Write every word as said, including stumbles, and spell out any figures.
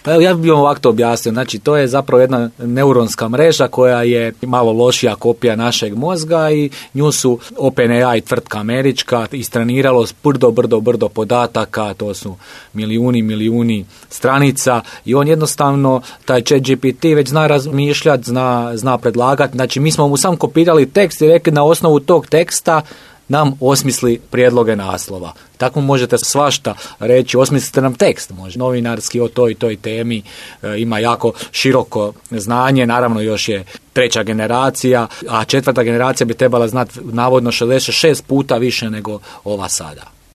Pa evo, ja bih vam ovako to objasnio. Znači, to je zapravo jedna neuronska mreža koja je malo lošija kopija našeg mozga i nju su OpenAI, tvrtka američka, istreniralo brdo, brdo, brdo podataka, to su milijuni, milijuni stranica i on jednostavno, taj ChatGPT već zna razmišljati, zna, zna predlagati. Znači, mi smo mu sam kopirali tekst i rekli na osnovu tog teksta nam osmisli prijedloge naslova. Tako možete svašta reći, osmislite nam tekst, može novinarski o toj i toj temi, e, ima jako široko znanje, naravno još je treća generacija, a četvrta generacija bi trebala znati navodno šezdeset šest puta više nego ova sada.